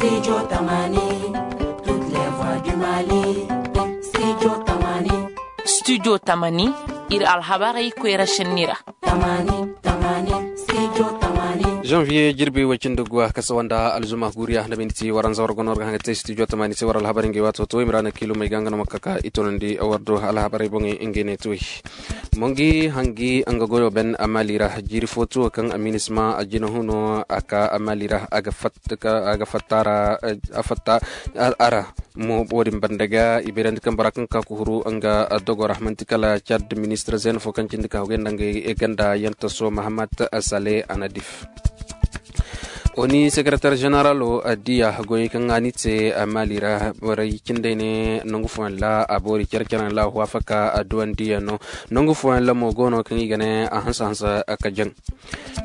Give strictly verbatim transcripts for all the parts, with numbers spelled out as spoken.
Studio tamani, studio tamani. Studio tamani, ir alhabarey koyra šenni ra. Tamani, tamani, studio tamani. Janvier jirbi way cindi guwa kasa wanda alzuma guriya nda minti waranza war gono war ga hanga te studio tamani se war alhabarey ngey wato to imrana kilo may ga nga no ma kaka itonandi war do alhabarey boŋey ngey ne tuwey. Mongi hangi nga goyo ben amali ra jiri fo tuwo kaŋ aminisma a jina huno a ka amali ra a ga fatta a ra. Mo wo-din banda ga i bayrandi kaŋ bora kaŋ ka kuhuru nga dogo ra manti kala cad ministir zeen fo kaŋ cindi ka hogay nda nga ganda yantaso mahammad sale anadif. Oni sekretar ženeralo diya goyey kaŋ a ni te mali ra borey cindey ne nangu fooyaŋ la a boori care-careyaŋ la a huwafaka a duwandiyaŋ no. Nangu fooyaŋ la mo go no kaŋ i ga ne a hanse hanse ka jaŋ.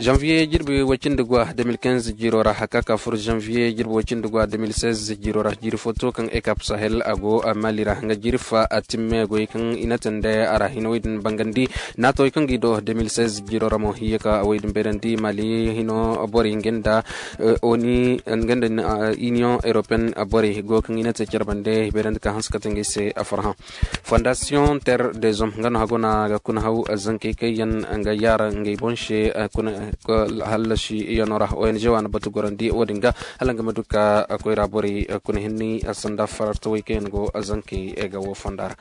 Janvier jirbi way cindi guwa deux mille quinze jiiro ra haka ka fur janvier jirbi way cindi guwa deux mille seize jiiro ra jiiri fo to kaŋ ekap sahel a go mali ra nga jiiri fa a timme goy kaŋ i na tande a ra hino way din bangandi. Naatawey kaŋ gi do deux mille seize jiiro ra mo hiye ka way din bayrandi mali hino borey nga nda oni nga nda union européenne borey go kaŋ i na te care bande bayrandi ka hanse ka te ngey se a farhã. Fondation terre des hommes nga no hago na ga kuna haw zankey kaŋ yaŋ nga yaara ngey boŋ se. Hallasi yaŋo ra ong waana batu gorandi wo-din ga hala nga ma du ka koyra borey kuna hinni sanda farartawey kaŋ yaŋ go zankey ga wo fonda ra.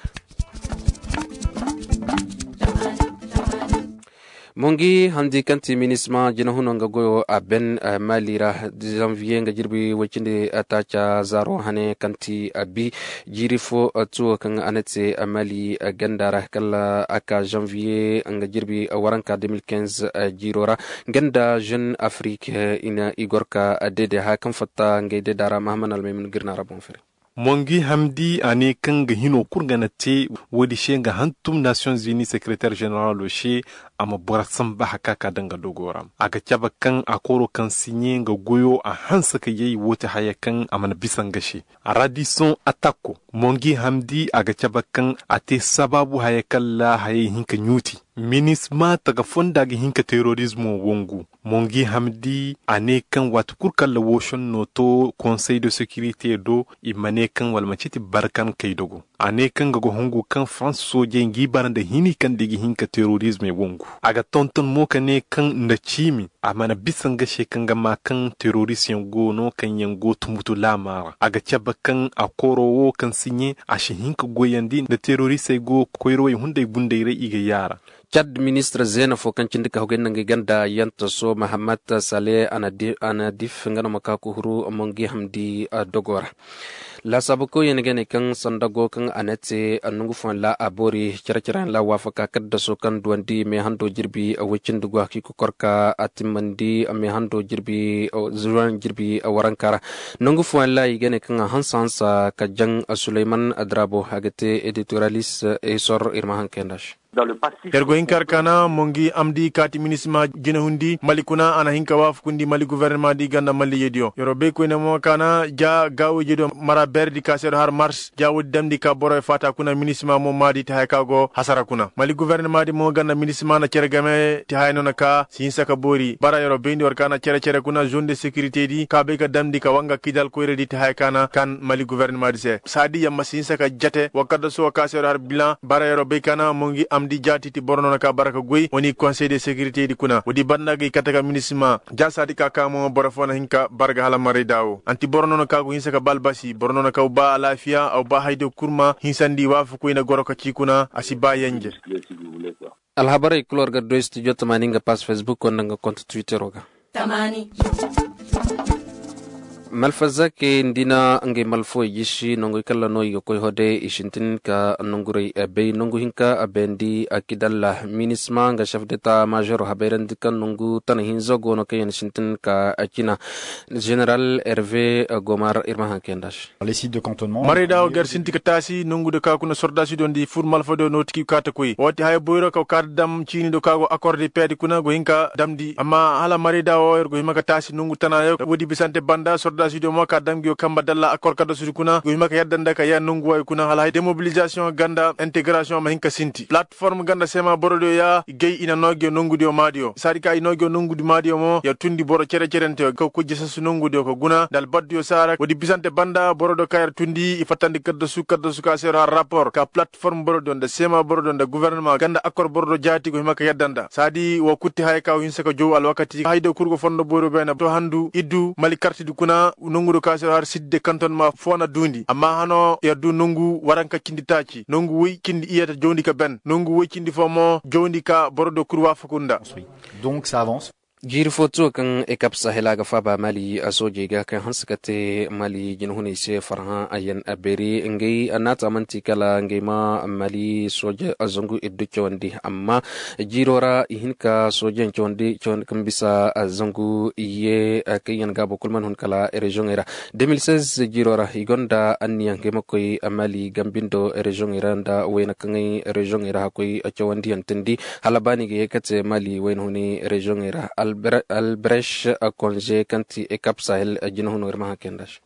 Mo ngi handi kaŋ ti minisma jina huno nga goyo a ben mali ra. Zanviye nga jirbi way cindi taaca zaaro hane kaŋ ti a bi jiiri fo tuwo kaŋ a na te mali ganda ra kala a ka zanviye nga jirbi waranka deux mille quinze jiiro ra. Nga nda jeune afrique i na i gor ka deede haya kaŋ fatta ngey deeda ra mahaman almaymun ga ir na ra boŋ fere. Mongi hamdi a ne kaŋ ga hino kul ga na te. Woodi se nga hantum nations unis secretaire generalo se a ma boro samba haka ka daŋ ga dogo ra. A ga cabe kaŋ a koro kaŋ siɲe nga goyo a hanse ka yay woo ti haya kaŋ a mana bisa nga se. Radison atakko mongi hamdi a ga cabe kaŋ a te sabaabu haya kaŋ ra hayey hin ka ɲuuti. Minisma taga fonda ga hin ka terorizmo wangu. Mongi hamdi a ne kaŋ waati kul kaŋ ra woo šenno to konsey de sekirite do i ma ne kaŋ wala manci ti barkan kay dogo. A ne kaŋ ga go hungu kaŋ farans soojey ngi bara nda hini kaŋ da i ga hin ka terorizmey wangu. A ga tonton mo ka ne kaŋ nda ciimi a mana bisa nga se kaŋ ga ma kaŋ terorizmey go no kaŋ yaŋ go tumbutu laama ra a ga cabe kaŋ a koro wo kaŋ siɲe a si hin ka goyandi nda terorizmey go koyrawey hunday bunday ra i ga yaara. Cad ministir zeena fo kaŋ cindi ka hogay nda ngey ganda yantaso mahammad sale anadif nga no ma ka kuhuru mongi hamdi dogo ra. Laasaabu koyyaŋ ga ne kaŋ sanda go kaŋ a na te nongu fooyaŋ ra a boori care-careyaŋ ra waafaka kaddaso kaŋ duwandi meehando jirbi way cindi go a ka i kokor ka a timmandi meehando jirbi zuwan jirbi waranka ra. Nongu fooyaŋ ra i ga ne kaŋ a hansa hansa ka jaŋ suleyman adrabo a ga te editoralis esor ir ma haŋ kayanda se. Yer go hin ka har kaana mongi amdi kaati minisma jinahundi mali kuna a na hin ka waafakundi mali guvernema di ganda malliyediyo yer wo bay koyne mo kaana ja gaawayjediyo mara beeredi ka se yer wo har mars ja woodi damndi ka boroyo faata kuna minisma mo maadi ti haya ka go hasara kuna mali guvernema di mo ganda minisma na cere game ti haya no na ka si hinsa ka boori bara yer wo bayndi war kaana cere cere kuna zone de sekirite di ka bay ka damndi ka wanga kidal koyradi ti haya kaana kan mali guvernema di se saadi yamma si hinsa ka jate wakadda suwa ka se yer wo har bilan bara yer wo bay kaana mongi amdi jaati ti boro no na ka bara ka goy woni konsey de sekirite di kuna woodi banda ga i kate ka minisma jaasa di ka ka mo boro fo na hin ka bara ga hala maray daawo anti boro no na ka go hinsa ka ba albasi boro no na ka ba alaafiya aw ba hayde kurma hinsandi waafakoy na goro ka ci kuna a si ba yanje. Alhabarey kul war ga doy studio tamaani nga pass facebook wanda nga konta twittero ga. Malfazakey nda i na ngey malfawey jisi nonguy kaŋ ra no i ga koy hode i sintin ka nongurey bay nongu hinka a bayandi a kidalla minisma nga chef deta majoro habayrandi kaŋ nongu tana hinza go no kaŋ yaŋ sintin ka a cina. General herve gomar ir ma haŋ kayanda se. Marayda wo gar sinti ka taasi nongu do ka kuna sordasidiyo nda i fur malfadiyo no ti ki kaata koy wo ti haya boyro ka kaata dam ciinidiyo ka go akor de pedi kuna go hin ka damndi amma hala marayda wo yer go hima ka taasi nongu tana yaŋ woodi bisante banda. Dasidiyo mo ka dam ngiyo kamba dalla akkor kaddasudi kuna go hima ka yadda nda ka ya nongu wayo kuna hala hay demobilizasiyoŋ ganda integrasiyoŋ ma hin ka sinti platform ganda sema borodiyo ya gay i na noo ngiyo nongudiyo maadiyo saadi ka i noo ngiyo nongudi maadiyo mo yer tundi boro cere-cerenteyo ka koy jesasu nongudiyo ka guna nda albaddiyo saara woodi bisante banda borodiyo ka yer tundi i fattandi kaddasu kaddasu ka se yer har rapport ka platform borodiyo nda sema borodiyo nda guvernema ganda akkor borodiyo jaati go hima ka yadda nda saadi woo kutti haya ka wo hinsa ka jow alwakati haydiyo kul go fondo boyro beene to handu iddu mali kartidi kuna nongudiyo ka se har sidde kanton ma foo na duundi amma hano yer du nongu waranka cindi taaci nongu woy cindi iyye ta jowndi ka ben nongu woy cindi foo mo jowndi ka borodiyo kul waafaku nda. Jiiri foo too kaŋ ekap sahela ga faaba mali soojey ga kaŋ hanse ka te mali jinahuney se farhã a yan a beeri ngey naata man'ti kala ngey ma mali sooje zangu iddu cawandi amma jiiro ra i hin ka soojeyaŋ cawandi kaŋ bisa zangu iyye kaŋ yan gaabo kul mana hun kala reziyoŋey ra. De mil seize jiiro ra i gonda anniya ngey ma koy mali gambindo reziyoŋey ra nda wayna kaŋey reziyoŋey ra hakkoy cawandiyaŋ tindi hala ba ni ga ye ka te mali wayna huni reziyoŋey ra. Albresh konze kaŋ ti ekap sahel jinahuno ir ma haŋ kay nda se.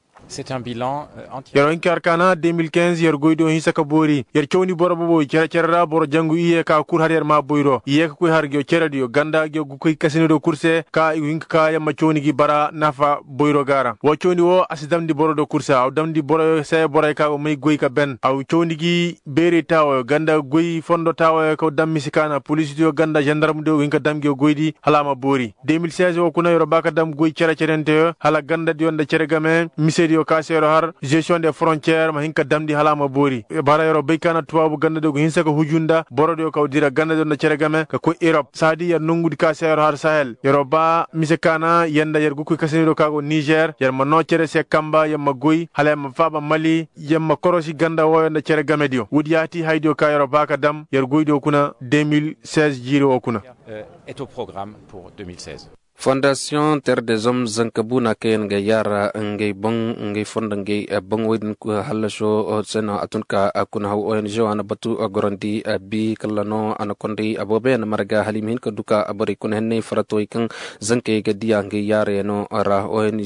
Yer wo hin ka yer kaana de mil kinze yer goydiyo hinsa ka boori yer cawndi boro boboy cere-cere ra boro jangu iyye ka kul har yer maa boyro iyye ka koy har ngiyo cerediyo ganda ngiyo ga koy kasinidiyo kul se ka i go hin ka ka yer ma cawndi gi bara nafa boyro ga ra woo cawndi woo a si damndi borodiyo kul se a wo damndi boroyo se boroyo ka go may goy ka ben a wo cawndi gi beerey taawayo ganda goy fondo taawayo ka dam mise kaana polisidiyo ganda zandarmdiyo ga hin ka dam ngiyo goydi hala a ma boori de mil seize woo kuna yer'o ba ka dam goy cere-cerenteyo hala gandadiyo nda cere game misediyo ka se yer'o har zesiyoŋ de forontiyer ma hin ka damndi hala a ma boori bara yer'o bay kaana tubaabu gandadiyo ga hinsa ka huju nda borodiyo ka dira gandadiyo nda cere game ka koy erop saadi yer nongudi ka se yer'o har sahel yer'o ba mise kaana yer nda yer ga koy kasanidiyo ka go nizer yer ma noo cere se kamba yer ma goy hala yer ma faaba mali yer ma korosi ganda wooyo nda cere gamediyo woodi yaati haydiyo ka yer'o ba ka dam yer goydiyo kuna de mil seize jiiri woo kuna. Fondaasiyoŋ ter dezom zanka buuna kaŋ yaŋ ga yaara ngey boŋ ngey fondo ngey boŋ woy din hallaso se no a tun ka kuna haw ong wa na batu gorandi bi kala no a na konday aboobe yaŋ marga hala i ma hin ka du ka borey kuna henney faratawey kaŋ zankey ga diya ngey yaarayaŋo ra ong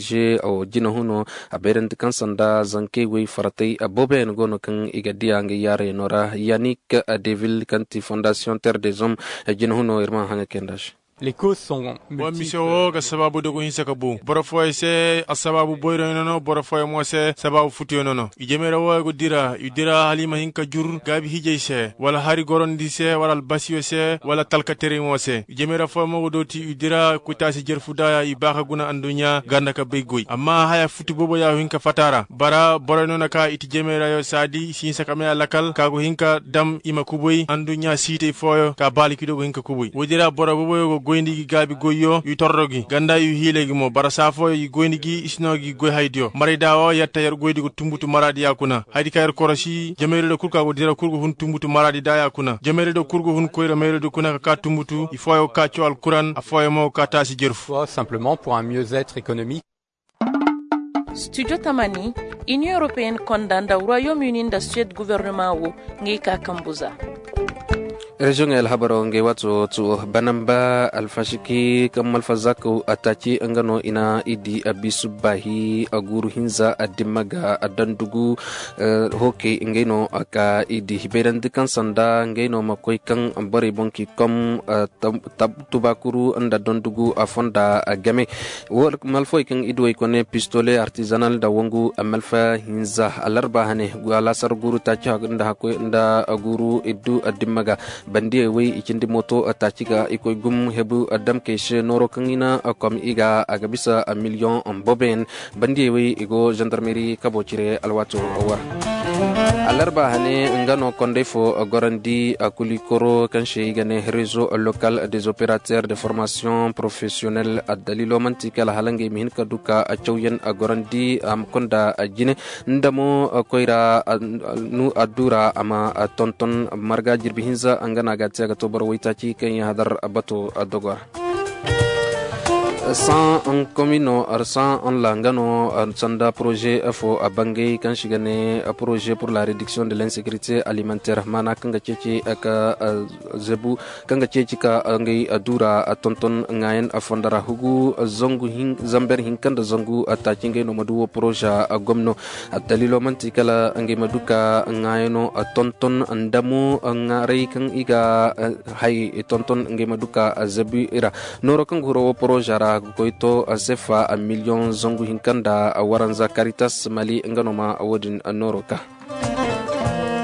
jinahuno a bayrandi kaŋ sanda zankey wey faratay aboobe yaŋ go no kaŋ i ga diya ngey yaarayaŋo ra yanik devil kaŋ ti fondaasiyoŋ ter dezom jinahuno ir ma haŋa kay nda se. Wa mise wo ga sabaabu dogo hinsa ka bu boro fooyaŋ se assabaabu boyroyaŋ no no boro fooyaŋ mo se sabaabu futuyaŋ no no i jemera wooyaŋ go dira i dira hala i ma hin ka jur gaabi hijay se wala hari gorandi se wala albasiyo se wala talkateray mo se i jemera fooyaŋ mo go dooti i dira koytaasi jerfu daaya i ba ka guna anduɲɲa ganda ka bay goy amma haya futu boobo ya go hin ka fata a ra bara boroyaŋ no na ka i ti jemerayo saadi i si hinsa ka may alakal ka go hin ka dam i ma kubay anduɲɲa siitay fooyaŋ ka baaliki do go hin ka kubay woodi ra boro boboyo go goyndi gi gaabi goyyo i torro gi ganda i hiilay gi mo bara saa fooyaŋ i goyndi gi i si no gi goy haydiyo maray da wo yatta yer goyndi go tunbutu maraadi ya kuna haydi ka yer korosi jamayri do kul ka go dira kul go hun tunbutu maraadi da ya kuna jamayri do kul go hun koyra mayri do kuna ka ka tunbutu i fooyaŋ go ka caw alkuran afooyaŋ mo go ka taasi jerfu. Studio tamani, inion europeen konda nda royaume uni nda suwed guvernema wo, ngey ka kambu za. Reziyoŋey alhabaro ngey waato tu banamba alfasiki kaŋ malfa zakaw ataaci nga no i na i di abisu baahi aguuru hinza adimma ga adandugu. Hookey ngey no ka i di hibayrandi kaŋ sanda ngey no ma koy kaŋ borey boŋ ki kom tubaakuru nda dondugu a fonda game. Malfawey kaŋ i duwey kone pistole artizanal nda wangu malfa hinza alarba hane alaasar guuru taaci nda guuru iddu dimma ga. Bandiyey wey i cindi mooto taaci ga i koy gum hebu damkey se nooro kaŋ i na kom i ga a ga bisa miliyoŋ bobeyaŋ. Bandiyey wey i go zandarmeri kabo cire alwaato war. Alarba hane nga no konday fo gorandi a kulikoro kaŋ se i ga ne rezo lokal des operateur de formation professionnel addalilo manti kala hala ngey ma hin ka du ka a cawyaŋ a gorandi a ma konda a jine. Nda mo koyra nu addura a ma tonton marga jirbi hinza nga no a ga te a ga to boro waytaaci kaŋ yaŋ hadar bato dogora. San komino arsan la nga no sanda poroze fo a bangay kaŋ si ga ne poroze pur la rediksiyoŋ de l'insekirite alimentaire maana kaŋ ga ceeci ka zebu kaŋ ga ceeci ka ngey duura tonton ŋaayan fondo ra hugu zangu zamber hinka nda zangu taaci ngey no ma du wo poroze gomno. Daliilo manti kala ngey ma du ka ŋaayano tonton nda mo ŋaaray kaŋ i ga hay tonton ngey ma du ka zebu i ra. Nooro kaŋ ga huro wo poroza ra ga koy to sefa miliyoŋ zangu hinka nda waranza karitas mali nga no ma wo-din nooro ka.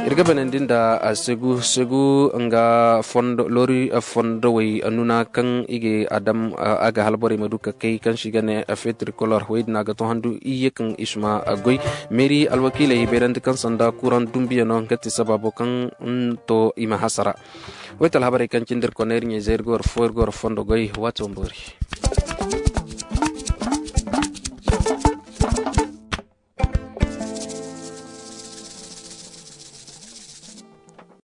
Ir ga banandi nda segu segu nga fondo lori fondowey nuna kaŋ i ga adam a ga halborey ma du ka kay kaŋ si ga ne fetricolor wey din a ga to handu iyye kaŋ i si ma goy. Meeri alwakiiley i bayrandi kaŋ sanda kuraŋ dumbiya no nga ti sabaabo kaŋ to i ma hasara. Wayta alhabarey kaŋ cindi ir kona ir ɲayzey ir ga war fo ir ga war fondo goy waati wamboori.